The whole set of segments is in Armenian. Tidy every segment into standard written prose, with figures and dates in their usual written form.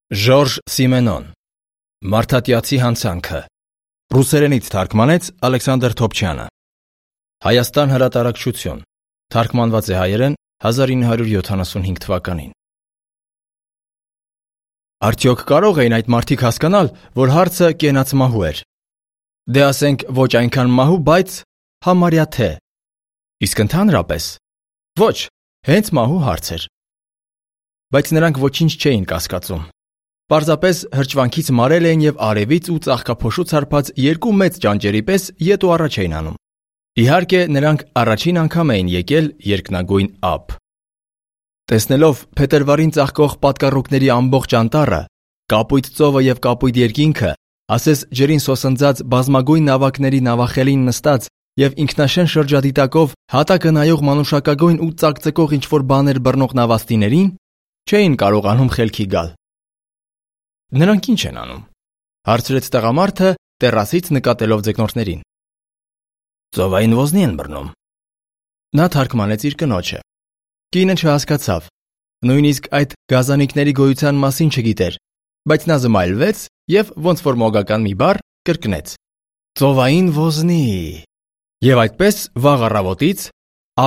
Ժորժ Սիմենոն Մարդատյացի հանցանքը Ռուսերենից թարգմանեց Ալեքսանդր Թոփչյանը Հայաստան հրատարակչություն Թարգմանված է հայերեն 1975 թվականին Արդյոք կարող էին այդ մարդիկ հասկանալ, որ հարցը կենաց մահու էր Դե ասենք ոչ այնքան մահու, բայց համարյա թե Իսկ ընդհանրապես Ոչ, հենց մահու հարց էր Բայց նրանք ոչինչ չէին կասկածում Պարզապես հրճվանքից մարել էին և արևից ու ծաղկափոշուց հարբած երկու մեծ ճանճերի պես ետ ու առաջ էին անում Իհարկե նրանք առաջին անգամ էին եկել երկնագույն ափ Տեսնելով փետրվարին ծաղկող պատկառուկների ամբողջ անտառը, կապույտ ծովը և կապույտ երկինքը, ասես ջրին սոսնձած բազմագույն նավակների նավախելին նստած և ինքնաշեն շրջադիտակով հատակը նայող մանուշակագույն ու ծակծկող ինչ-որ բաներ բռնող նավաստիներին, չէին կարողանում խելքի գալ Նրանք ինչ են անում, հարցրեց տղամարդը տեռասից նկատելով ձկնորսներին Ծովային ոզնի են բռնում Նա թարգմանեց իր կնոջը Կինը չհասկացավ, նույնիսկ այդ գազանիկների գոյության մասին չգիտեր, բայց նա զմայլվեց և ոնց որ մոգական մի բառ կրկնեց Ծովային ոզնի Եվ այդպես վաղ առավոտից,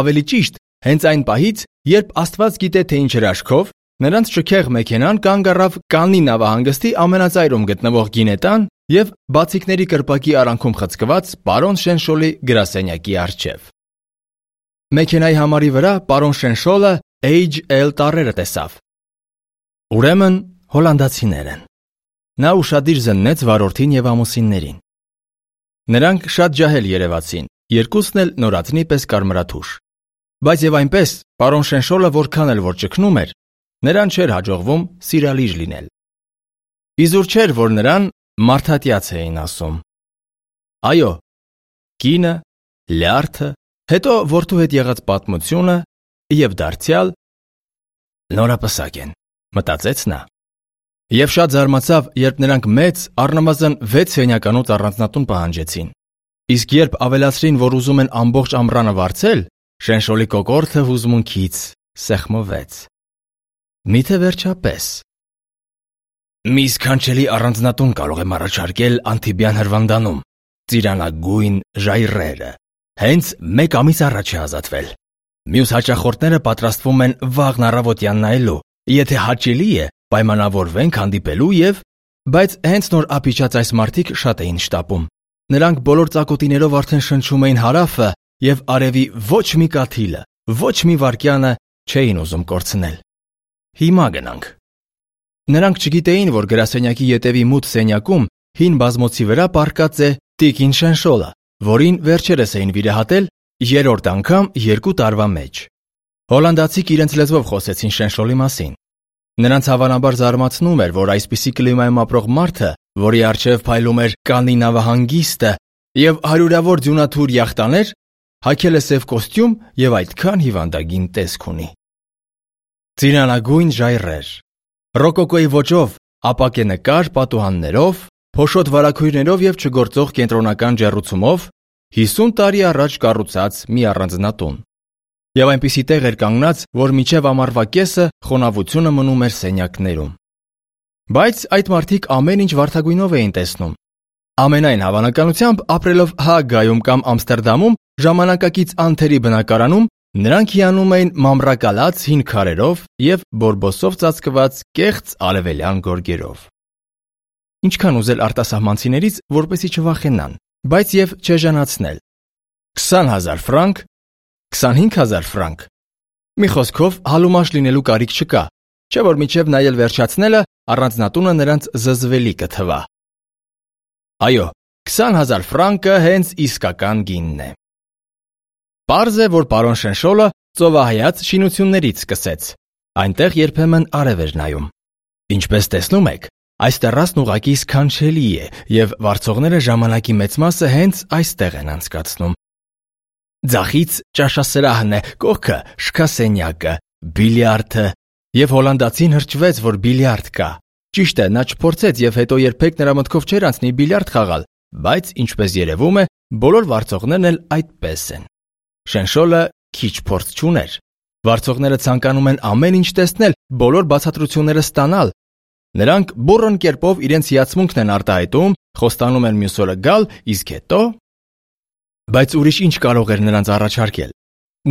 ավելի ճիշտ, հենց այն պահից, երբ Աստված գիտե թե ինչ հրաշքով, նրանց շքեղ մեքենան կանգ առավ Կաննի նավահանգստի ամենածայրում գտնվող գինետան և բացիկների կրպակի արանքում խցկված պարոն Շենշոլի գրասենյակի առջև։ Մեքենայի համարի վրա պարոն Շենշոլը HL տառերը տեսավ։ Ուրեմն հոլանդացիներ են։ Նա ուշադիր զննեց վարորդին և ամուսիններին։ Նրանք շատ ջահել երևացին, երկուսն էլ նորածնի պես կարմրաթուշ։ Բայց և այնպես, պարոն Շենշոլը որքան էլ որ ճգնում էր, նրան չէր հաջողվում սիրալիր լինել։ Իզուր չէր, որ նրան մարդատյաց էին ասում։ Այո, կինը, լյարդը, հետո որդու հետ եղած պատմությունը և դարձյալ նորապսակ են, մտածեց նա։ Եվ շատ զարմացավ, երբ նրանք մեծ, առնվազն 6 սենյականոց առանձնատուն պահանջեցին։ Իսկ երբ ավելացրին, որ ուզում են ամբողջ ամռանը վարձել, Շենշոլի կոկորդը հուզմունքից սեղմվեց։ Միթե վերջապես։ Մի սքանչելի առանձնատուն կարող եմ առաջարկել Անթիբյան Հրվանդանում, ծիրանագույն ժայռերը, հենց 1 ամիս առաջ է ազատվել։ Մյուս հաճախորդները պատրաստվում են վաղն առավոտյան նայելու, եթե հաճելի է, պայմանավորվենք հանդիպելու և, բայց հենց նոր ափիչած այս մարդիկ շատ էին շտապում։ Նրանք բոլոր ծակոտիներով արդեն շնչում էին հարավը և արևի ոչ մի կաթիլը, ոչ մի վայրկյանը չէին ուզում կորցնել։ Հիմա գնանք։ Նրանք չգիտեին, որ գրասենյակի ետևի մութ սենյակում հին բազմոցի վրա պառկած է տիկին Շենշոլը, որին վերջերս էին վիրահատել 3-րդ անգամ 2 տարվա մեջ։ Հոլանդացիք իրենց լեզվով խոսեցին Շենշոլի մասին։ Նրանց հավանաբար զարմացնում էր, որ այսպիսի կլիմայում ապրող մարդը, որի առջև փայլում էր Կաննի նավահանգիստը և հարյուրավոր ձյունաթուր յախտաներ, հագել է սև կոստյում և այդքան հիվանդագին տեսք ունի։ Ծիրանագույն ժայռեր, ռոկոկոյի ոճով, ապակե նկար պատուհաններով, փոշոտ վարագույրներով և չգործող կենտրոնական ջեռուցումով 50 տարի առաջ կառուցած մի առանձնատուն։ Եվ այնպիսի տեղ էր կանգնած, որ մինչև ամառվա կեսը խոնավությունը մնում էր սենյակներում։ Բայց այդ մարդիկ ամեն ինչ վարդագույնով էին տեսնում։ Ամենայն հավանականությամբ ապրելով Հաագայում կամ Ամստերդամում ժամանակակից անթերի բնակարանում նրանք հիանում էին մամռակալած հին քարերով և բորբոսով ծածկված կեղծ արևելյան գորգերով։ Ինչքան ուզել արտասահմանցիներից, որպեսզի չվախենան, բայց և չեժանացնել։ 20,000 ֆրանկ, 25,000 ֆրանկ։ Մի խոսքով հալումաշ լինելու կարիք չկա, չէ որ մինչև նայել վերջացնելը առանձնատունը նրանց զզվելի կթվա։ Այո, 20,000 ֆրանկը հենց իսկական գինն է։ Պարզ է, որ պարոն Շենշոլը ծովահայաց շինություններից սկսեց։ Այնտեղ երբեմն արև էր նայում։ Ինչպես տեսնում եք, այս տեռասն ուղղակի սքանչելի է և վարձողները ժամանակի մեծ մասը հենց այստեղ են անցկացնում։ Ձախից ճաշասրահն է, կողքը շքասենյակը, բիլիարդը, և հոլանդացին հրճվեց, որ բիլիարդ կա։ Ճիշտ է, նա չփորձեց և հետո երբեք նրա մտքով չէր անցնի բիլիարդ խաղալ, բայց ինչպես երևում է, բոլոր վարձողներն էլ այդպես են։ Շենշոլը քիչ փորձ չուներ։ Վարձողները ցանկանում են ամեն ինչ տեսնել, բոլոր բացատրությունները ստանալ։ Նրանք բուռն կերպով իրենց հիացմունքն են արտահայտում, խոստանում են մյուս օրը գալ, իսկ հետո… Բայց ուրիշ ինչ կարող էր նրանց առաջարկել։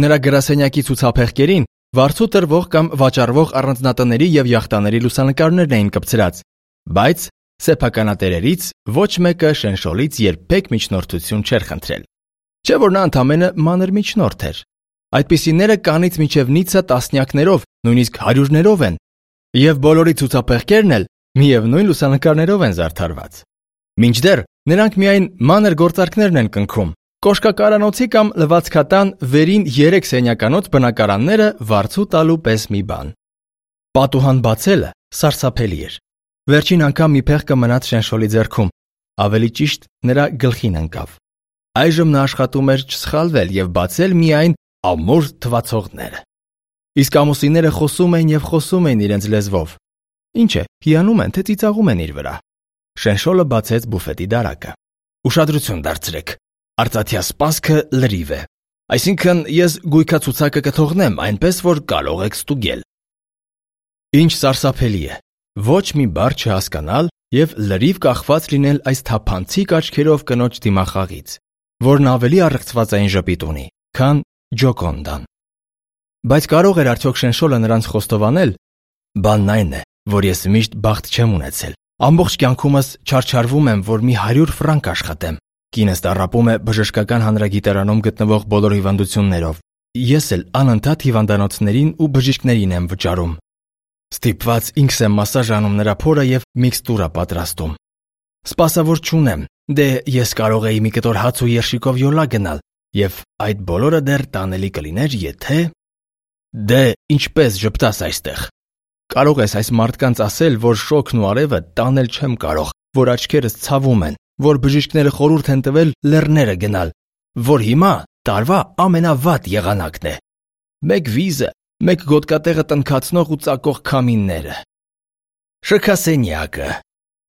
Նրա գրասենյակի ցուցափեղկերին վարձու տրվող կամ վաճառվող առանձնատների եւ յախտաների լուսանկարներն էին կպցրած, բայց սեփականատերերից ոչ մեկը Շենշոլից երբեք միջնորդություն չէր խնդրել։ Չէ՞ որ նա ընդամենը մանր միջնորդ էր։ Այդպիսիները կանից մինչև նիցը տասնյակներով, նույնիսկ հարյուրներով են, եւ բոլորի ցուցափեղկերն էլ միևնույն լուսանկարներով են զարդարված։ Մինչդեռ նրանք միայն մանր գործարքներն են կնքում։ Կոշկակարանոցի կամ լվացքատան վերին 3 սենյականոց բնակարանները վարձու տալու պես մի բան։ Պատուհան բացելը սարսափելի էր։ Վերջին անգամ մի փեղկը մնաց Շենշոլի ձեռքում, ավելի ճիշտ նրա գլխին ընկավ։ Այժմ նա աշխատում էր չսխալվել եւ բացել միայն ամուր թվացողները։ Իսկ ամուսինները խոսում էին եւ խոսում էին իրենց լեզվով։ Ինչ է, հիանում են, թե ծիծաղում են իր վրա։ Շենշոլը բացեց բուֆետի դարակը։ Ուշադրություն դարձրեք։ Արծաթյա սպասքը լրիվ է։ Այսինքն ես գույքացուցակը կթողնեմ, այնպես որ կարող եք ստուգել։ Ինչ սարսափելի է։ Ոչ մի բառ չհասկանալ եւ լրիվ կախված լինել այս թափանցիկ աչքերով կնոջ դիմախաղից, որն ավելի առեղծված այն ժպիտ ունի, քան Ջոկոնդան։ Բայց կարող էր արդյոք Շենշոլը նրանց խոստովանել։ Բանն այն է, որ ես միշտ բախտ չեմ ունեցել։ Ամբողջ կյանքումս չարչարվում եմ, որ մի 100 ֆրանկ աշխատեմ։ Կինս տառապում է բժշկական հանրագիտարանում գտնվող բոլոր հիվանդություններով։ Ես էլ անընդհատ հիվանդանոցներին ու բժիշկներին եմ վճարում։ Ստիպված ինքս եմ մասաժ անում նրա փորը եւ միքստուրա պատրաստում։ Սպասավոր չունեմ, դե ես կարող էի մի կտոր հաց ու երշիկով յոլա գնալ, եւ այդ բոլորը դեռ տանելի կլիներ, եթե… Դե ինչպես ժպտաս այստեղ։ Կարող ես այս մարդկանց ասել, որ շոգն ու արևը տանել չեմ կարող, որ աչքերս ցավում են, որ բժիշկները խորհուրդ են տվել լեռները գնալ, որ հիմա տարվա ամենավատ եղանակն է։ Մեկ վիզը, մեկ գոտկատեղը տնքացնող ու ծակող քամինները։ Շքասենյակը։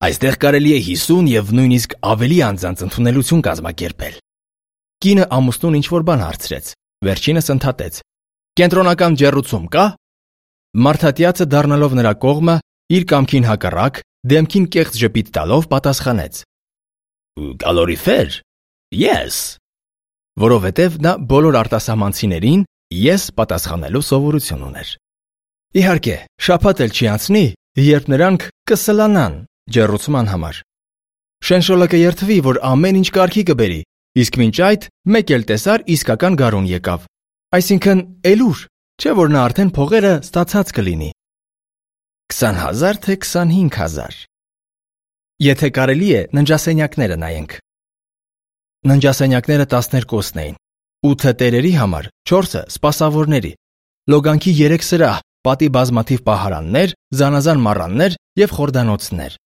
Այստեղ կարելի է 50 եւ նույնիսկ ավելի անձանց ընդունելություն կազմակերպել։ Կինը ամուսնուն ինչ-որ բան հարցրեց։ Վերջինս ընդհատեց. Կենտրոնական ջեռուցում կա։ Մարդատյացը դառնալով նրա կողմը, իր կամքին հակառակ, դեմքին կեղծ ժպիտ տալով պատասխանեց. Կալորիֆեր։ Yes։ Որովհետև նա բոլոր արտասահմանցիներին ես պատասխանելու սովորություն ուներ։ Իհարկե, շաբաթ էլ չի անցնի, երբ նրանք կսլանան ջեռուցման համար։ Շենշոլը կերթվի, որ ամեն ինչ կարգի կբերի, իսկ մինչ այդ մեկ էլ տեսար իսկական գարուն եկավ։ Այսինքն, էլուր, չէ՞ որ նա արդեն փողերը ստացած կլինի։ 20,000 թե 25,000։ Եթե կարելի է, ննջասենյակները նայենք։ Ննջասենյակները 12-ն էին, 8-ը տերերի համար, 4-ը սպասավորների, լոգանքի 3 սրահ, պատի բազմաթիվ պահարաններ, զանազան մառաններ եւ խորդանոցներ։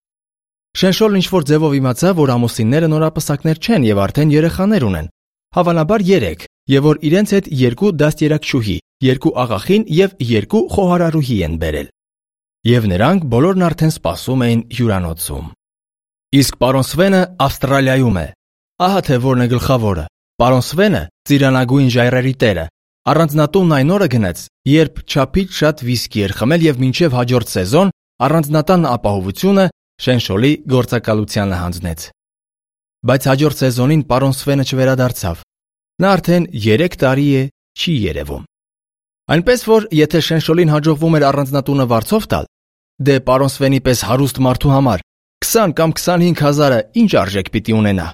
Շենշոլն ինչ-որ ձևով իմացավ, որ ամուսինները նորապսակներ չեն եւ արդեն երեխաներ ունեն, հավանաբար 3, եւ որ իրենց հետ 2 դաստիարակչուհի, 2 աղախին եւ 2 խոհարարուհի են բերել։ Եվ նրանք բոլորն արդեն սպասում էին հյուրանոցում։ Իսկ պարոն Սվենը Ավստրալիայում է։ Ահա թե որն է գլխավորը։ Պարոն Սվենը, ծիրանագույն ժայռերի տերը, առանձնատունն այն օրը գնաց, երբ չափից շատ վիսկի էր խմել եւ մինչեւ հաջորդ սեզոն առանձնատան ապահովությունը Շենշոլի գործակալությանը հանձնեց։ Բայց հաջորդ սեզոնին պարոն Սվենը չվերադարձավ։ Նա արդեն 3 տարի է չի երևում։ Այնպես որ եթե Շենշոլին հաջողվում էր առանձնատունը վարձով տալ, դե պարոն Սվենի պես հարուստ մարդու համար 20 կամ 25,000-ը ինչ արժեք պիտի ունենա։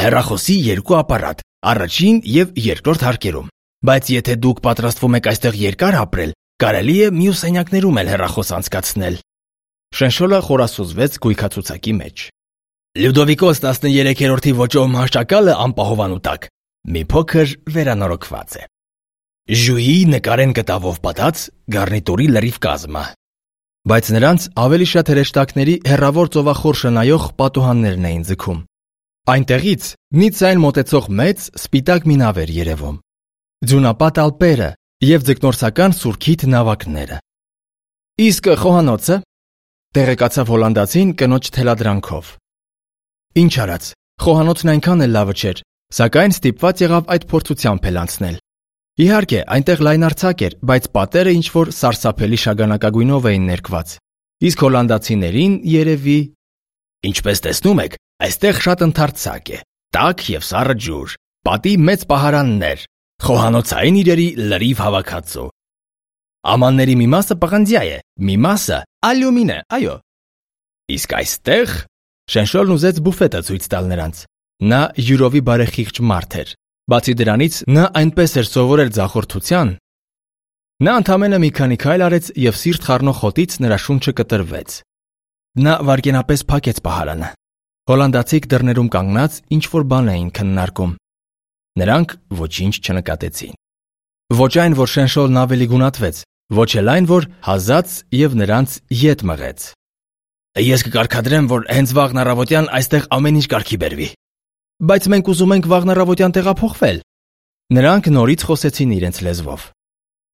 Հեռախոսի 2 ապարատ, առաջին եւ երկրորդ հարկերում։ Բայց եթե դուք պատրաստվում եք այստեղ երկար ապրել, կարելի է մյուս սենյակներում էլ հեռախոս անցկացնել։ Շենշոլը խորասուզվեց գույքացուցակի մեջ։ Լյուդովիկոս 13-րդի ոճով մահճակալը անպահովանու տակ մի փոքր վերանորոգված է։ Ժուի նկարեն կտավով պատած գարնիտուրի լրիվ կազմը։ Բայց նրանց ավելի շատ հրեշտակների հեռավոր ծովախորշը նայող պատուհաններն էին ձգում։ Այնտեղից Նիցային մոտեցող մեծ սպիտակ մի նավ էր երևում։ Ձյունապատ ալպերը եւ ձկնորսական սուրքիթ նավակները։ Իսկ խոհանոցը տեղեկացավ հոլանդացին կնոջ թելադրանքով։ Ինչ արած, խոհանոցն այնքան էլ լավը չէր, սակայն ստիպված եղավ այդ փորձությամբ էլ անցնել։ Իհարկե, այնտեղ լայնարձակ էր, բայց պատերը ինչ-որ սարսափելի շագանակագույնով էին ներկված։ իսկ հոլանդացիներին երևի։ Ինչպես տեսնում եք, այստեղ շատ ընդարձակ է, տաք և սառը ջուր, պատի մեծ պահարաններ, խոհանոցային իրերի լրիվ հավաքածու։ Ամանների մի մասը պղնձյա է, մի մասը ալյումին է, այո։ Իսկ այստեղ Շենշոլն ուզեց բուֆետը ցույց տալ նրանց։ Նա յուրովի բարեխիղճ մարդ էր։ Բացի դրանից, նա այնպես էր սովորել ձախորդության։ Նա ընդամենը մի քանի քայլ արեց և սիրտ խառնող հոտից նրա շունչը կտրվեց։ Նա վայրկենապես փակեց պահարանը։ Հոլանդացիք դռներում կանգնած ինչ-որ բան էին քննարկում։ Նրանք ոչինչ չնկատեցին։ Ոչ այն, որ Շենշոլն ավելի գունատվեց, ոչ էլ այն, որ հազաց և նրանց ետ մղեց։ Ես կկարգադրեմ, որ հենց վաղն առավոտյան այստեղ ամեն ինչ կարգի բերվի։ Բայց մենք ուզում ենք վաղն առավոտյան տեղափոխվել։ Նրանք նորից խոսեցին իրենց լեզվով։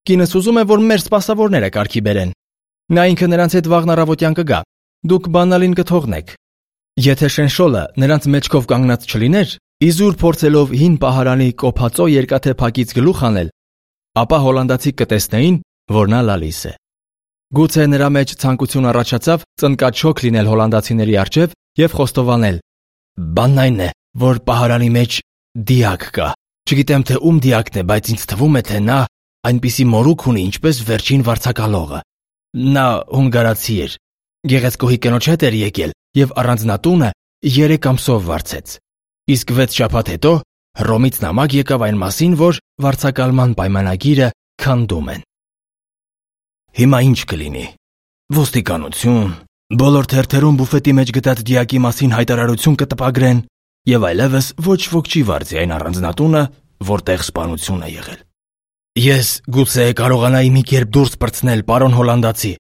Կինս ուզում է, որ մեր սպասավորները կարգի բերեն։ Նա ինքը նրանց հետ վաղն առավոտյան կգա։ Դուք բանալին կթողնեք։ Եթե Շենշոլը նրանց մեջքով կանգնած չլիներ, իզուր փորձելով հին պահարանի կոփածո երկաթե փակից գլուխ անել, ապա հոլանդացիք կտեսնեին, որ նա լալիս է։ Գուցե նրա մեջ ցանկություն առաջացավ ծնկաչոք լինել հոլանդացիների առջև և խոստովանել. Բանն այն է, որ պահարանի մեջ դիակ կա։ Չգիտեմ, թե ում դիակն է, բայց ինձ թվում է, թե նա այնպիսի մորուք ունի, ինչպես վերջին վարձակալողը։ Նա հունգարացի էր, գեղեցկուհի կնոջ հետ էր եկել և առանձնատունը 3 ամսով վարձեց։ Իսկ 6 շաբաթ հետո Հռոմից նամակ եկավ այն մասին, որ վարձակալման պայմանագիրը քանդում են։ Հիմա ինչ կլինի։ Ոստիկանություն, բոլոր թերթերում բուֆետի մեջ գտած դիակի մասին հայտարարություն կտպագրեն և այլևս ոչ ոք չի վարձի այն առանձնատունը, որտեղ սպանություն է եղել։ Ես գուցե կարողանայի մի կերպ դուրս պրծնել, պարոն հոլանդացի,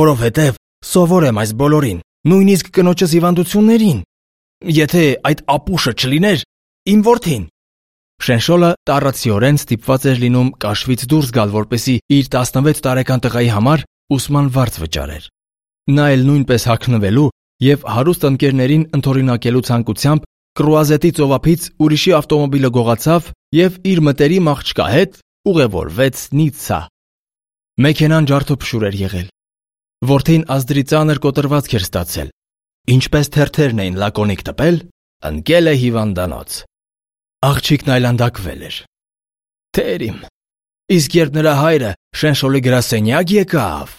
որովհետև սովոր եմ այս բոլորին, նույնիսկ կնոջս հիվանդություններին։ Եթե այդ ապուշը չլիներ, իմ որդին։ Շենշոլը տառացիորեն ստիպված էր լինում կաշվից դուրս գալ, որպեսզի իր 16 տարեկան տղայի համար ուսման վարձ վճարեր։ Նա էլ նույնպես հագնվելու և հարուստ ընկերներին ընդօրինակելու ցանկությամբ կրուազետի ծովափից ուրիշի ավտոմոբիլը գողացավ և իր մտերիմ աղջկա հետ ուղևորվեց Նիցցա։ Մեքենան ջարդոփշուր էր եղել։ Որդին ազդրի ծանր կոտրվածք էր ստացել։ Ինչպես թերթերն էին լակոնիկ տպել, ընկել է հիվանդանոց։ Աղջիկն այլանդակվել էր։ Տեր իմ, իսկ երբ նրա հայրը Շենշոլի գրասենյակ եկավ,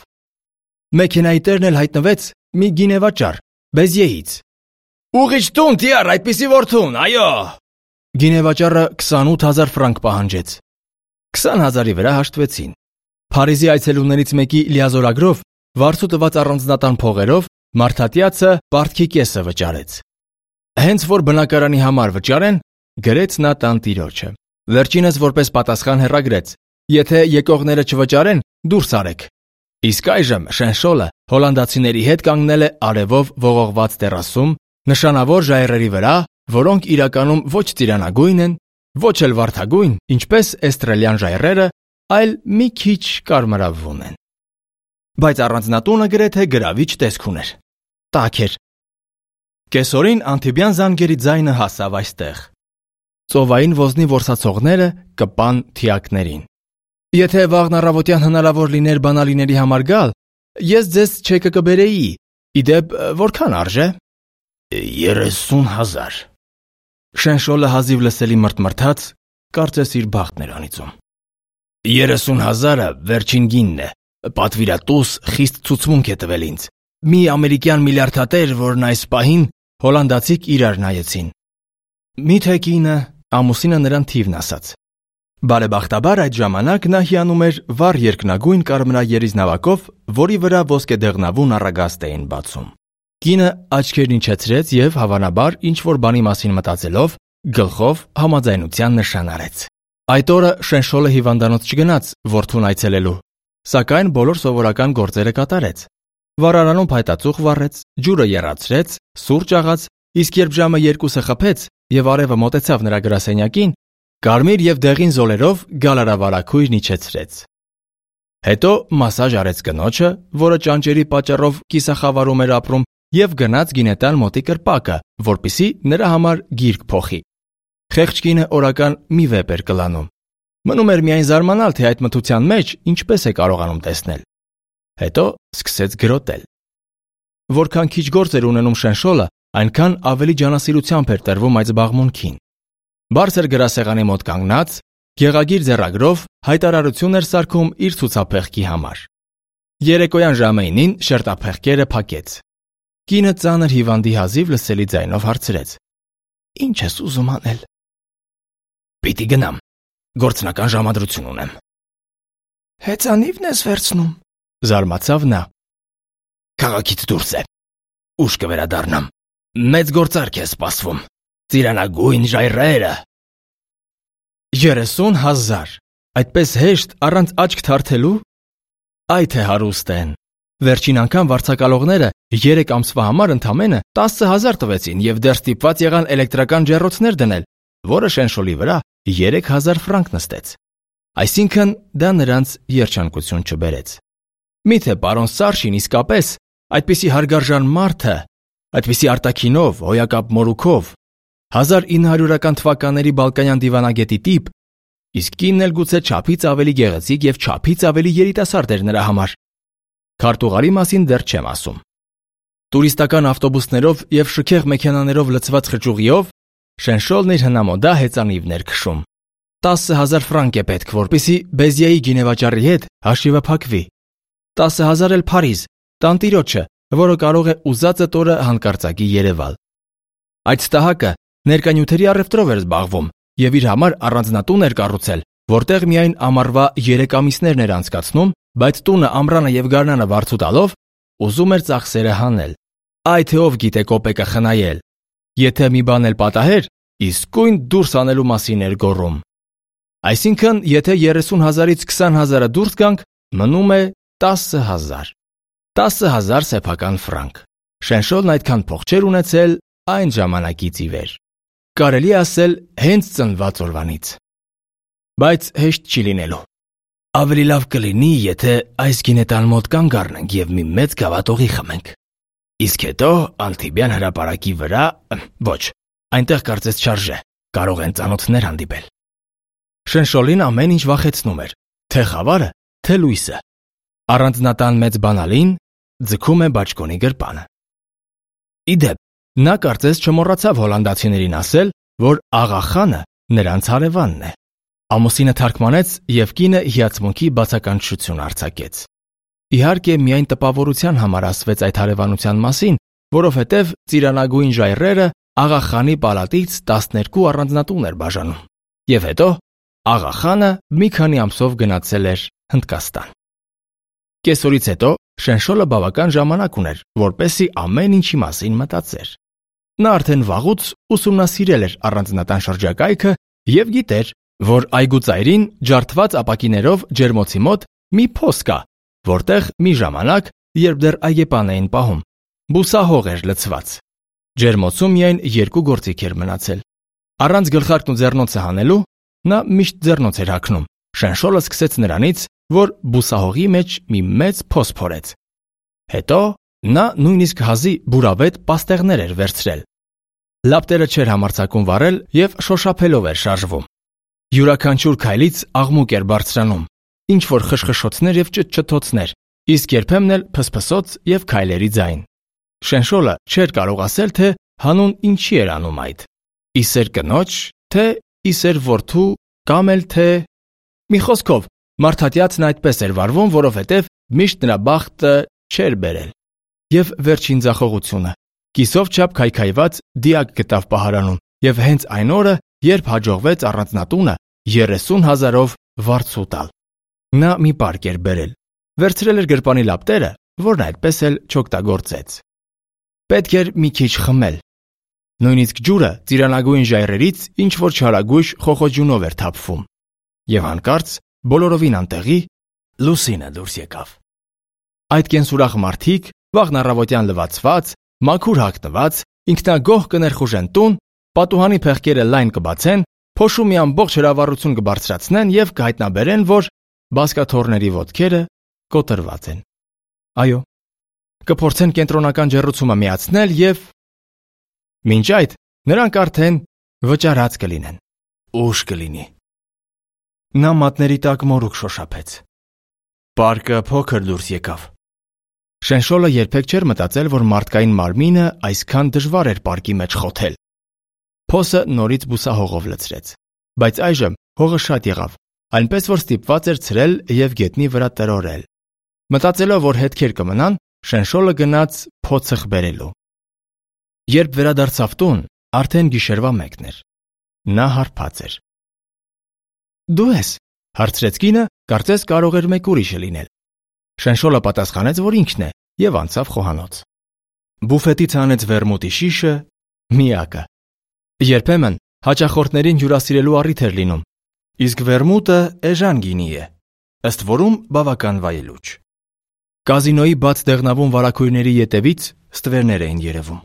մեքենայի տերն էլ հայտնվեց մի գինեվաճառ, Բեզիեից։ Ուղիչ տուն, տիար, այդպիսի որդուն, այո։ Գինեվաճառը 28,000 ֆրանկ պահանջեց։ 20,000-ի վրա հաշտվեցին։ Փարիզի այցելուներից մեկի լիազորագրով վարձու տված առանձնատան փողերով մարդատյացը պարտքի կեսը վճարեց։ Հենց որ բնակարանի համար վճարեն, գրեց նա տանտիրոջը։ Վերջինս որպես պատասխան հեռագրեց. Եթե եկողները չվճարեն, դուրս արեք։ Իսկ այժմ Շենշոլը հոլանդացիների հետ կանգնել է արևով ողողված տերասում, նշանավոր ժայռերի վրա, որոնք իրականում ոչ ծիրանագույն են, ոչ էլ վարդագույն, ինչպես էստրելյան ժայռերը, այլ մի քիչ կարմրավուն են։ Բայց առանձնատունը գրեթե գրավիչ տեսք ուներ։ Տաք էր։ Կեսօրին Անթիբյան զանգերի ձայնը հասավ այստեղ։ Ծովային ոզնի որսացողները կպան թիակներին։ Եթե վաղն առավոտյան հնարավոր լիներ բանալիների համար գալ, ես ձեզ չեկը կբերեի։ Իդեպ որքան արժե։ 30,000։ Շենշոլը հազիվ լսելի մրթմրթաց, կարծես իր բախտն էր անիծում։ 30,000-ը վերջին գինն է։ Պատվիրատուս խիստ ցուցմունք է տվել ինձ։ Մի ամերիկյան միլիարդատեր, որն այս պահին հոլանդացիք իրար նայեցին։ Միթե կինը, ամուսինը նրան թիվն ասաց։ Բարեբախտաբար այդ ժամանակ նա հիանում էր վառ երկնագույն կարմրաերիզ նավակով, որի վրա ոսկեդեղնավուն առագաստ էին բացում։ Կինը աչքերն իջեցրեց և հավանաբար ինչ-որ բանի մասին մտածելով գլխով համաձայնության նշան արեց։ Այդ օրը Շենշոլը հիվանդանոց չգնաց որդուն այցելելու, սակայն բոլոր սովորական գործերը կատարեց։ Վառարանում փայտածուխ վառեց, ջուրը եռացրեց, սուրճ աղաց, իսկ երբ ժամը 2-ը խփեց և արևը մոտեցավ նրա գրասենյակին, կարմիր և դեղին զոլերով գալարավարակույրն իջեցրեց։ Հետո մասաժ արեց կնոջը, որը ճանճերի պատճառով կիսախավարում էր ապրում, և գնաց գինետան մոտի կրպակը, որպեսզի նրա համար գիրք փոխի։ Խեղճ կինը օրական մի վեպ էր կլանում։ Մնում էր միայն զարմանալ, թե այդ մթության մեջ ինչպես է կարողանում տեսնել։ Հետո սկսեց գրոտել։ որքան քիչ գործ էր ունենում Շենշոլը, այնքան ավելի ջանասիրությամբ էր տրվում այդ զբաղմունքին։ Բարձր գրասեղանի մոտ կանգնած, գեղագիր ձեռագրով հայտարարություն էր սարքում իր ցուցափեղկի համար։ Երեկոյան ժամը 9-ին շերտափեղկերը փակեց։ Կինը ծանր հիվանդի հազիվ լսելի ձայնով հարցրեց. «Ինչ ես ուզում անել»։ «Պիտի գնամ, գործնական ժամադրություն ունեմ»։ «Հեծանիվն ես վերցնում», զարմացավ նա։ «Քաղաքից դուրս է, ուշ կվերադառնամ, մեծ գործարք է սպասվում, ծիրանագույն ժայռերը»։ 30,000, այդպես հեշտ, առանց աչք թարթելու։ Այ թե հարուստ են։ Վերջին անգամ վարձակալողները 3 ամսվա համար ընդամենը 10,000 տվեցին եւ դեռ ստիպված եղան էլեկտրական ջեռոցներ դնել, որը Շենշոլի վրա 3,000 ֆրանկ նստեց։ Այսինքն դա նրանց երջանկություն չբերեց։ Միթե պարոն Սարշին իսկապես այդպիսի հարգարժան մարդը, այդպիսի արտաքինով, հոյակապ մորուքով, 1900-ական թվականների Բալկանյան դիվանագետի տիպ, իսկ կինն էլ գուցե չափից ավելի գեղեցիկ եւ չափից ավելի երիտասարդ էր նրա համար։ Քարտուղարի մասին դեռ չեմ ասում։ Տուրիստական ավտոբուսներով եւ շքեղ մեքենաներով լցված խճուղիով Շենշոլն իր հնամոդա հեծանիվն էր քշում։ 10,000 ֆրանկ է պետք, որպեսզի Բեզիայի գինեվաճառի հետ հաշիվը փակվի։ 10,000 էլ Փարիզ, տանտիրոջը, որը կարող է ուզածը տորը հանկարծակի Երևալ։ Այդ ստահակը ներկանյութերի առևտրով էր զբաղվում եւ իր համար առանձնատուն էր կառուցել, որտեղ միայն ամառվա 3 ամիսներն էր անցկացնում, բայց տունը, ամռանը եւ գարնանը վարձու տալով ուզում էր ծախսերը հանել։ Այ թե ով գիտե կոպեկը խնայել։ Եթե մի բան էլ պատահեր, իսկույն դուրս անելու մասին էր գոռում։ Այսինքն, եթե 30,000-ից 20,000-ը դուրս գանք, մնում է 10,000։ 10,000 սեփական ֆրանկ։ Շենշոլն այդքան փող չէր ունեցել այն ժամանակից ի վեր։ Կարելի ասել հենց ծնված օրվանից։ Բայց հեշտ չի լինելու։ Ավելի լավ կլինի, եթե այս գինետան մոտ կանգ առնենք եւ մի մեծ գավաթողի խմենք։ Իսկ հետո Անտիբյան հրապարակի վրա, ոչ, այնտեղ կարծես չարժե, կարող են ծանոթներ հանդիպել։ Շենշոլին ամեն ինչ վախեցնում էր, թե խավարը, թե լույսը։ Առանձնատան մեծ բանալին ձգում է բաճկոնի գրպանը։ Իդեպ, նա կարծես չմոռացավ հոլանդացիներին ասել, որ Աղախանը նրանց հարևանն է։ Ամուսինը թարգմանեց եւ կինը հիացմունքի բացականչություն արձակեց։ Իհարկե, միայն տպավորության համար ասվեց այդ հարևանության մասին, որովհետև ծիրանագույն ժայռերը Աղախանի պալատից 12 առանձնատուն էր բաժանում։ Եվ հետո Աղախանը մի քանի ամսով գնացել էր Հնդկաստան։ Կեսօրից հետո Շենշոլը բավական ժամանակ ուներ, որպեսզի ամեն ինչի մասին մտածեր։ Նա արդեն վաղուց ուսումնասիրել էր առանձնատան շրջակայքը եւ գիտեր, որ այգուծայրին ջարդված ապակիներով ջերմոցի մոտ մի փոս կա, որտեղ մի ժամանակ, երբ դեռ այգեպան էին պահում, բուսահող էր լցված։ Ջերմոցում միայն 2 գործիք էր մնացել։ Առանց գլխարկն ու ձեռնոցը հանելու նա միշտ ձեռնոց էր հագնում։ Շենշոլը սկսեց նրանից, որ բուսահողի մեջ մի մեծ փոս փորեց։ Հետո նա նույնիսկ հազի բուրավետ պաստեղներ էր վերցրել։ Լապտերը չէր համարձակում վառել եւ շոշափելով էր շարժվում։ Յուրաքանչյուր քայլից աղմուկ էր բարձրանում, ինչ որ խշխշոցներ եւ ճտճտոցներ, իսկ երբեմն էլ փսփսոց եւ քայլերի ձայն։ Շենշոլը չէր կարող ասել, թե հանուն ինչի էր անում այդ։ Իսեր կնոջ, թե իսեր որդու, կամ էլ թե մի խոսքով, մարդատյացն այդպես էր վարվում, որովհետև միշտ նրա բախտը չէր բերել։ Եվ վերջին ձախողությունը։ Կիսով չափ քայքայված դիակ գտավ պահարանում, եւ հենց այն օրը, երբ հաջողվեց առանձնատունը 30,000-ով վարձու տալ։ Նա մի պարկ էր բերել, վերցրել էր գրպանի լապտերը, որն այդպես էլ չօգտագործեց։ Պետք էր մի քիչ խմել։ Նույնիսկ ջուրը ծիրանագույն ժայռերից ինչ որ չարագույժ խոխոջյունով էր թափվում։ Եվ հանկարծ բոլորովին անտեղի Լուսինը դուրս եկավ։ Այդ կենսուրախ մարդիկ, վաղն առավոտյան լվացված, մաքուր հագնված, ինքնագոհ կներխուժեն տուն, պատուհանի փեղկերը լայն կբացեն, փոշու մի ամբողջ հրավառություն կբարձրացնեն եւ կհայտնաբերեն, որ բասկաթոռների ոտքերը կոտրված են։ Այո, կփորձեն կենտրոնական ջեռուցումը միացնել եւ մինչ այդ նրանք արդեն վճարած կլինեն։ Ուշ կլինի։ Նա մատների տակ մորուք շոշափեց։ Պարկը փոքր դուրս եկավ։ Շենշոլը երբեք չէր մտածել, որ մարդկային մարմինը այսքան դժվար էր պարկի մեջ խոթել։ Փոսը նորից բուսահողով լցրեց, բայց այժմ հողը շատ եղավ, այնպես որ ստիպված էր ցրել եւ գետնի վրա տրորել։ Մտածելով, որ հետքեր կմնան, Շենշոլը գնաց փոցը խբերելու։ Երբ վերադարձավ տուն, արդեն գիշերվա 1-ն էր։ Նա հարբած էր։ Դու ես, հարցրեց կինը, կարծես կարող էր մեկ ուրիշը լինել։ Շենշոլը պատասխանեց, որ ինքն է, եւ անցավ խոհանոց։ Բուֆետից հանեց վերմուտի շիշը, միակը։ Երբեմն հաճախորդներին հյուրասիրելու առիթ էր լինում, իսկ վերմուտը էժան գինի է, ըստ որում բավական վայելուչ։ Կազինոյի բաց դեղնավուն վարակույրների ետևից ստվերներ էին երևում։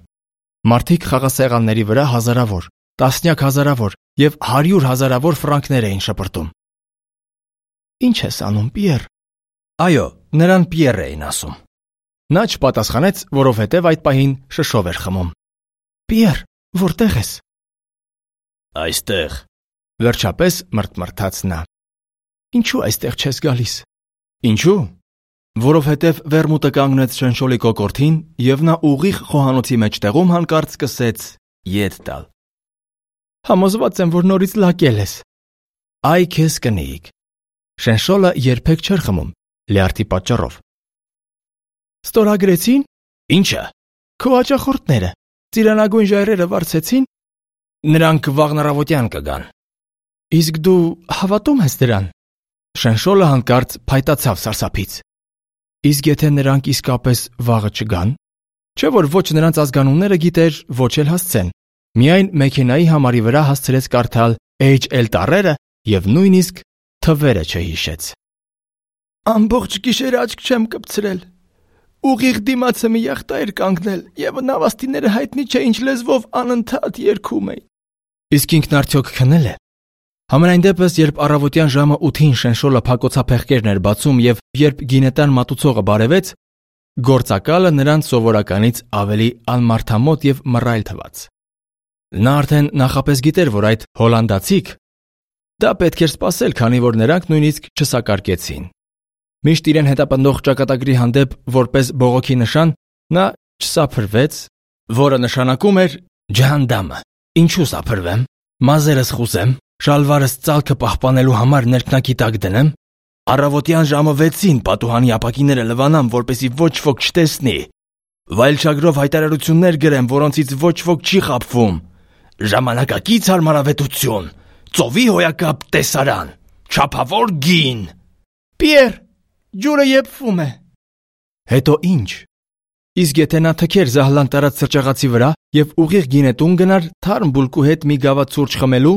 Մարդիկ խաղասեղանների վրա հազարավոր, տասնյակ հազարավոր եւ 100 հազարավոր ֆրանկներ էին շպրտում։ Ինչ ես անում, Պիեր։ Այո, նրան Պիեր էին ասում։ Նա չպատասխանեց, որովհետև այդ պահին շշով էր խմում։ Պիեր, որտեղ ես։ Այստեղ, վերջապես մրթմրթաց նա։ Ինչու այստեղ չես գալիս։ Ինչու։ Որովհետև վերմուտը կանգնեց Շենշոլի կոկորդին եւ նա ուղիղ խոհանոցի մեջտեղում հանկարծ սկսեց ետ տալ։ Համոզված եմ, որ նորից լակել ես։ Այ քեզ կնեիք։ Շենշոլը երբեք չէր խմում, լյարդի պատճառով։ Ստորագրեցին։ Ինչը։ Քո հաճախորդները ծիրանագույն ժայռերը վարձեցին։ Նրանք վաղն առավոտյան կգան։ Իսկ դու հավատում ես դրան։ Շենշոլը հանկարծ փայտացավ սարսափից։ Իսկ եթե նրանք իսկապես վաղը չգան, չէ՞ որ ոչ նրանց ազգանունները գիտեր, ոչ էլ հասցեն։ Միայն մեքենայի համարի վրա հասցրեց կարդալ HL տառերը եւ նույնիսկ թվերը չհիշեց։ Ամբողջ գիշեր աչք չեմ կպցրել։ Ուղիղ դիմացը մի յախտա էր կանգնել եւ նավաստիները հայտնի չէ ինչ լեզվով անընդհատ երգում էին։ Իսկ ինքն արդյոք քնել է։ Համենայն դեպս, երբ առավոտյան ժամը 8-ին Շենշոլը փակոցափեղկերն էր բացում եւ երբ գինետան մատուցողը բարևեց, գործակալը նրան սովորականից ավելի անմարդամոտ եւ մռայլ թվաց։ Նա արդեն նախապես գիտեր, որ այդ հոլանդացիք դա պետք էր սպասել, քանի որ նրանք նույնիսկ չսակարկեցին։ Միշտ իրեն հետապնդող ճակատագրի հանդեպ որպես բողոքի նշան, նա չսափրվեց, որը նշանակում էր ջհանդամը։ Ինչու սափրվեմ, մազերս խուսեմ, շալվարս ծալքը պահպանելու համար ներքնակի տակ դնեմ, առավոտյան ժամը 6-ին պատուհանի ապակիները լվանամ, որպեսզի ոչ ոք չտեսնի, վայելչագրով հայտարարություններ գրեմ, որոնցից ոչ ոք չի խաբվում, ժամանակակից հարմարավետություն, ծովի հոյակապ տեսարան, չափավոր գին։ Պիեր, ջուրը եփվում է։ Հետո ինչ։ Իսկ եթե նա թքեր զահլան տարած սրճաղացի վրա եւ ուղիղ գինետուն գնար թարմ բուլկու հետ մի գավաթ սուրճ խմելու,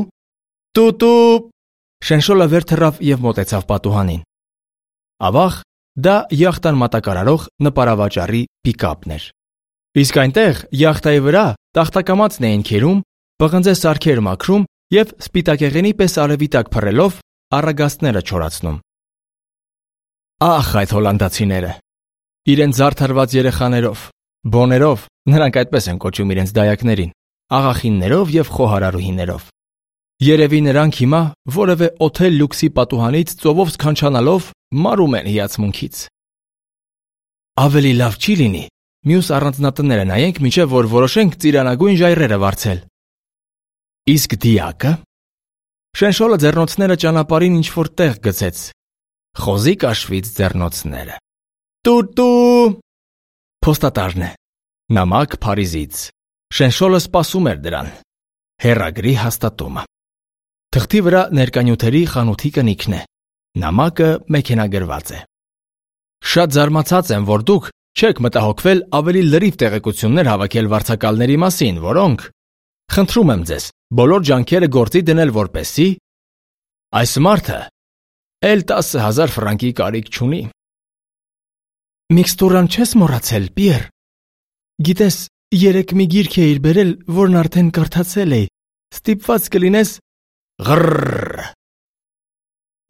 տուտու։ Շենշոլը վեր թռավ եւ մոտեցավ պատուհանին։ Ավաղ դա յախտան մատակարարող նպարավաճառի պիկապն էր։ Իսկ այնտեղ յախտայի վրա տախտակամածն էին քերում, պղնձե սարքեր մաքրում եւ սպիտակեղենի պես արևի տակ փռելով առագաստները չորացնում։ Ախ, այդ հոլանդացիները։ Իրենց զարդարված երեխաներով, բոներով, նրանք այդպես են կոչում իրենց դայակներին, աղախիններով եւ խոհարարուհիներով։ Երևի նրանք հիմա որևէ օթել լյուքսի պատուհանից ծովով սքանչանալով մարում են հիացմունքից։ Ավելի լավ չի լինի մյուս առանձնատները նայենք, մինչև որ որոշենք ծիրանագույն ժայռերը վարձել։ Իսկ դիակը։ Շենշոլը ձեռնոցները ճանապարհին ինչ-որ տեղ գցեց։ Խոզի կաշվից ձեռնոցները։ Տուտու։ Փոստատարն է։ Նամակ Փարիզից։ Շենշոլը սպասում էր դրան։ Հեռագրի հաստատումը։ Թղթի վրա ներկանյութերի խանութի կնիքն է։ Նամակը մեքենագրված է։ Շատ զարմացած եմ, որ դուք չեք մտահոգվել ավելի լրիվ տեղեկություններ հավաքել վարձակալների մասին, որոնք, խնդրում եմ ձեզ, բոլոր ջանքերը գործի դնել, որպեսզի այս մարդը էլ 10,000 ֆրանկի կարիք չունի։ Միքստուրան չես մոռացել, Պիեր։ Գիտես, երեք մի գիրք էիր բերել, որն արդեն կարդացել էի։ Ստիպված կլինես Ղռռ։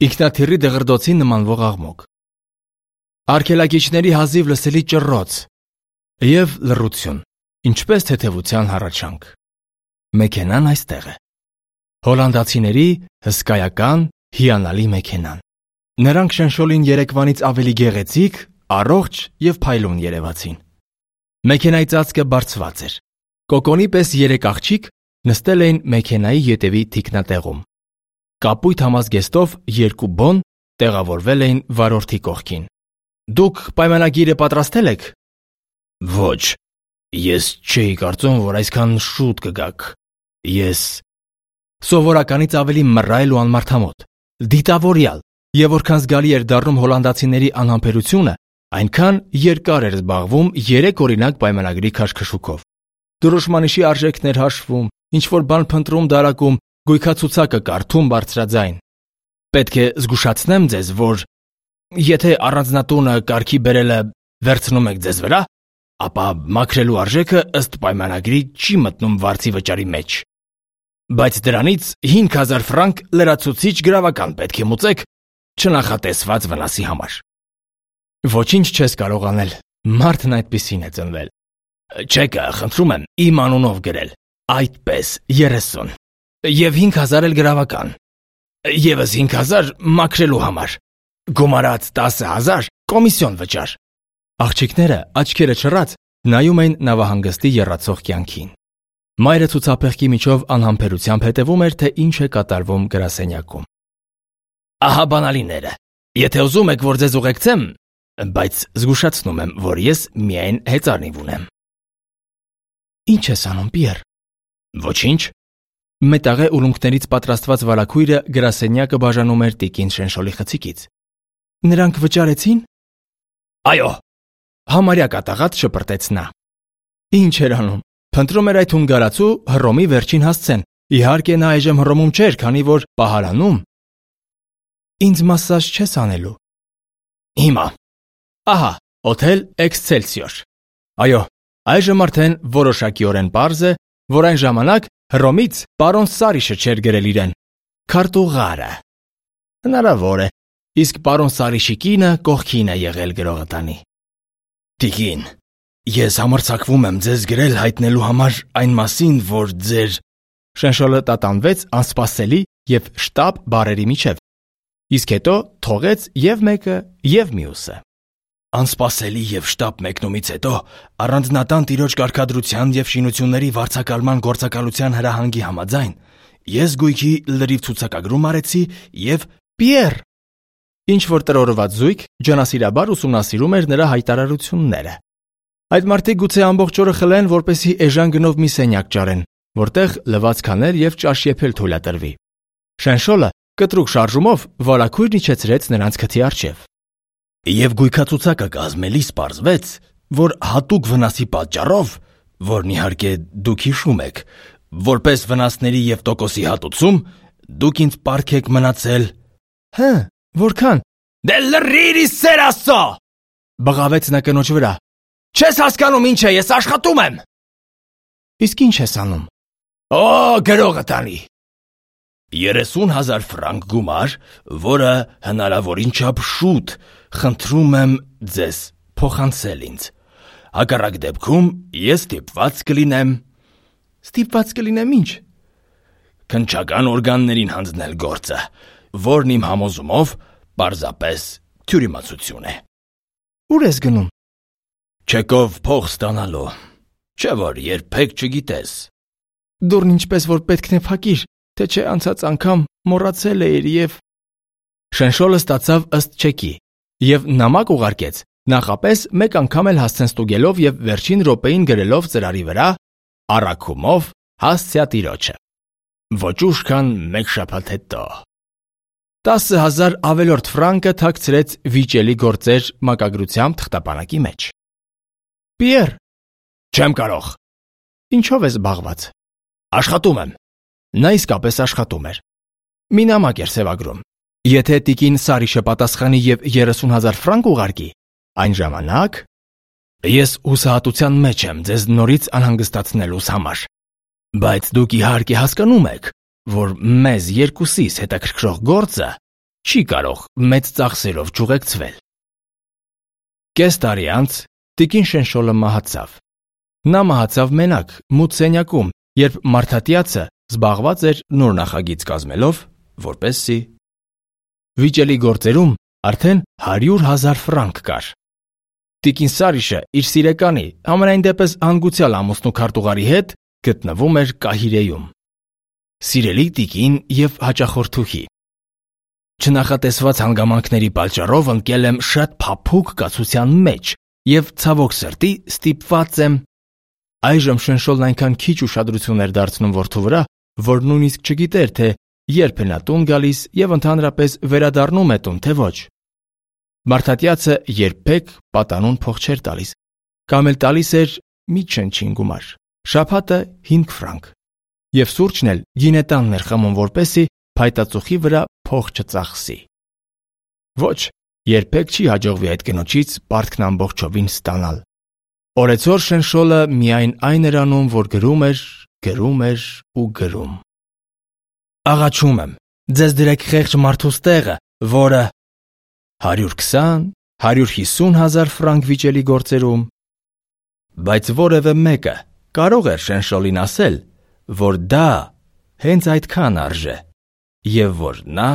Ինքնաթիռի դղրդոցի նմանվող աղմուկ։ Արգելակիչների հազիվ լսելի ճռռոց եւ լռություն, ինչպես թեթևության հառաչանք։ Մեքենան այստեղ է։ Հոլանդացիների հսկայական, հիանալի մեքենան։ Նրանք Շենշոլին երեկվանից ավելի գեղեցիկ առողջ եւ փայլուն երևացին։ Մեքենայի ծածկը բարձված էր։ Կոկոնի պես 3 աղջիկ նստել էին մեքենայի ետևի թիկնատեղում։ Կապույտ համազգեստով 2 բոն տեղավորվել էին վարորդի կողքին։ Դուք պայմանագիրը պատրաստել եք։ Ոչ, ես չէի կարծում, որ այսքան շուտ կգաք։ Ես սովորականից ավելի մռայլ ու անմարդամոտ, դիտավորյալ, եւ որքան զգալի էր դառնում հոլանդացիների անհամբերությունը, այնքան երկար էր զբաղվում 3 օրինակ պայմանագրի քաշքշուկով։ Դրոշմանիշի արժեքներ հաշվում, ինչ-որ բան փնտրում դարակում, գույքացուցակը կարդում բարձրաձայն։ Պետք է զգուշացնեմ ձեզ, որ եթե առանձնատունը կարգի բերելը վերցնում եք ձեզ վրա, ապա մաքրելու արժեքը ըստ պայմանագրի չի մտնում վարձի վճարի մեջ։ Բայց դրանից 5000 ֆրանկ լրացուցիչ գրավական պետք է մուծեք չնախատեսված վնասի համար։ Ոչինչ չես կարող անել, մարդն այդպիսին է ծնվել։ Չեկը, խնդրում եմ, իմ անունով գրել, այդպես 30, եւ 5000 էլ գրավական, եւս 5000 մաքրելու համար, գումարած 10000 կոմիսիոն վճար։ Աղջիկները աչքերը չռած նայում էին նավահանգստի եռացող կյանքին։ Մայրը ցուցափեղկի միջով անհամբերությամբ հետևում էր, թե ինչ է կատարվում գրասենյակում։ Ահա բանալիները։ Եթե ուզում եք, որ ձեզ ուղեկցեմ, բայց զգուշացնում եմ, որ ես միայն հեծանիվ ունեմ։ Ինչ ես անում, Պիեր։ Ոչինչ։ Մետաղե ուլունքներից պատրաստված վարակույրը գրասենյակը բաժանում էր տիկին Շենշոլի խցիկից։ Նրանք վճարեցին։ Այո։ Համարյա կատաղած շպրտեց նա։ Ինչ էր անում։ Փնտրում էր այդ հունգարացու Հռոմի վերջին հասցեն։ Իհարկե նա այժմ Հռոմում չէր, քանի որ պահարանում։ Ինձ մասաժ չես անելու։ Հիմա։ Ահա, օթել Էքսցելսիոր։ Այո, այժմ արդեն որոշակիորեն պարզ է, որ այն ժամանակ Հռոմից պարոն Սարիշը չէր գրել իրեն։ Քարտուղարը։ Հնարավոր է, իսկ պարոն Սարիշի կինը կողքին է եղել գրողը տանի։ Տիկին, ես համարձակվում եմ ձեզ գրել հայտնելու համար այն մասին, որ ձեր… Շենշոլը տատանվեց անսպասելի եւ շտապ բարերի միջև, իսկ հետո թողեց եւ մեկը եւ մյուսը։ Անսպասելի եւ շտապ մեկնումից հետո առանձնատան տիրոջ կարգադրության եւ շինությունների վարձակալման գործակալության հրահանգի համաձայն ես գույքի լրիվ ցուցակագրում արեցի եւ Պիեր… Ինչ որ տրորված զույգ ջանասիրաբար ուսումնասիրում էր նրա հայտարարությունները։ Այդ մարդիկ գուցե ամբողջ օրը խլեն, որպեսզի էժան գնով մի սենյակ ճարեն, որտեղ լվացքաներ եւ ճաշ եփել թույլատրվի։ Շենշոլը կտրուկ շարժումով վարակույրն իջեցրեց նրանց քթի առջև։ Եվ գույքացուցակը կազմելիս պարզվեց, որ հատուկ վնասի պատճառով, որն իհարկե դուք հիշում եք, որպես վնասների եւ տոկոսի հատուցում, դուք ինձ պարգեք մնացել… Հը, որքան… Դե լրիր իսեր Աստծո… Բղավեց նա կնոջ վրա։ Չես հասկանում ինչ է, ես աշխատում եմ։ Իսկ ինչ ես անում։ Օ, գրողը տանի։ 30,000 ֆրանկ գումար, որը հնարավորին չափ շուտ, խնդրում եմ ձեզ փոխանցել ինձ։ Հակառակ դեպքում ես ստիպված կլինեմ… Ստիպված կլինեմ ինչ։ Քննչական օրգաններին հանձնել գործը, որն իմ համոզումով պարզապես թյուրիմացություն է։ Ուր ես գնում։ Չեկով փող ստանալու, չէ որ երբեք չգիտես։ Դուրն ինչպես որ պետքն է փակիր, թե չէ անցած անգամ մոռացել էիր եւ… Շենշոլը ստացավ ըստ չեկի եւ նամակ ուղարկեց, նախապես մեկ անգամ էլ հասցեն ստուգելով եւ վերջին րոպեին գրելով ծրարի վրա առաքումով հասցյա տիրոջը։ Ոչ ուշ քան մեկ շաբաթ հետո 10,000 ավելորդ ֆրանկը թաքցրեց վիճելի գործեր մակագրությամբ թղթապանակի մեջ։ Պիեր, չեմ կարող։ Ինչով ես զբաղված։ Աշխատում եմ։ Նա իսկապես աշխատում էր։ Մի նամակ էր սևագրում։ Եթե տիկին Սարիշը պատասխանի եւ 30,000 ֆրանկ ուղարկի, այն ժամանակ ես հուսահատության մեջ եմ ձեզ նորից անհանգստացնելուս համար։ Բայց դուք իհարկե հասկանում եք, որ մեզ երկուսիս հետաքրքրող գործը չի կարող մեծ ծախսերով չուղեկցվել։ Կես տարի անց տիկին Շենշոլը մահացավ։ Նա մահացավ մենակ, մութ սենյակում, երբ մարդատյացը զբաղված էր նոր նախագիծ կազմելով, որպեսզի… Վիճելի գործերում արդեն 100,000 ֆրանկ կար։ Տիկին Սարիշը իր սիրեկանի, համենայն դեպս հանգուցյալ ամուսնու քարտուղարի հետ գտնվում էր Կահիրեում։ Սիրելի տիկին եւ հաճախորդուհի, չնախատեսված հանգամանքների պատճառով ընկել եմ շատ փափուկ կացության մեջ եւ ցավոք սրտի ստիպված եմ։ Այժմ Շնշոլն այնքան քիչ ուշադրություն էր դարձնում որդու վրա, որ նույնիսկ չգիտեր, թե երբ է նա տուն գալիս եւ ընդհանրապես վերադառնում է տուն, թե ոչ։ Մարդատյացը երբեք պատանուն փող չէր տալիս, կամ էլ տալիս էր մի չնչին գումար, շաբաթը 5 ֆրանկ, եւ սուրճն էլ գինետանն էր խմում, որպեսի փայտածուխի վրա փող չծախսի։ Ոչ, երբեք չի հաջողվի այդ կնոջից պարտքն ամբողջովին ստանալ։ Օրեցօր Շնշոլը միայն այն էր անում, որ գրում էր ու գրում։ Աղաչում եմ, ձեզ դրեք խեղճ մարդուս տեղը, որը 120-150 հազար ֆրանկ վիճելի գործերում, բայց որևէ մեկը կարող էր Շնշոլին ասել, որ դա հենց այդքան արժե եւ որ նա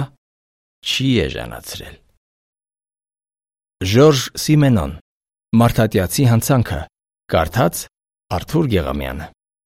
չի էժանացրել։ Ժորժ Սիմենոն, Մարդատյացի հանցանքը, կարդաց Արթուր Գեղամյանը։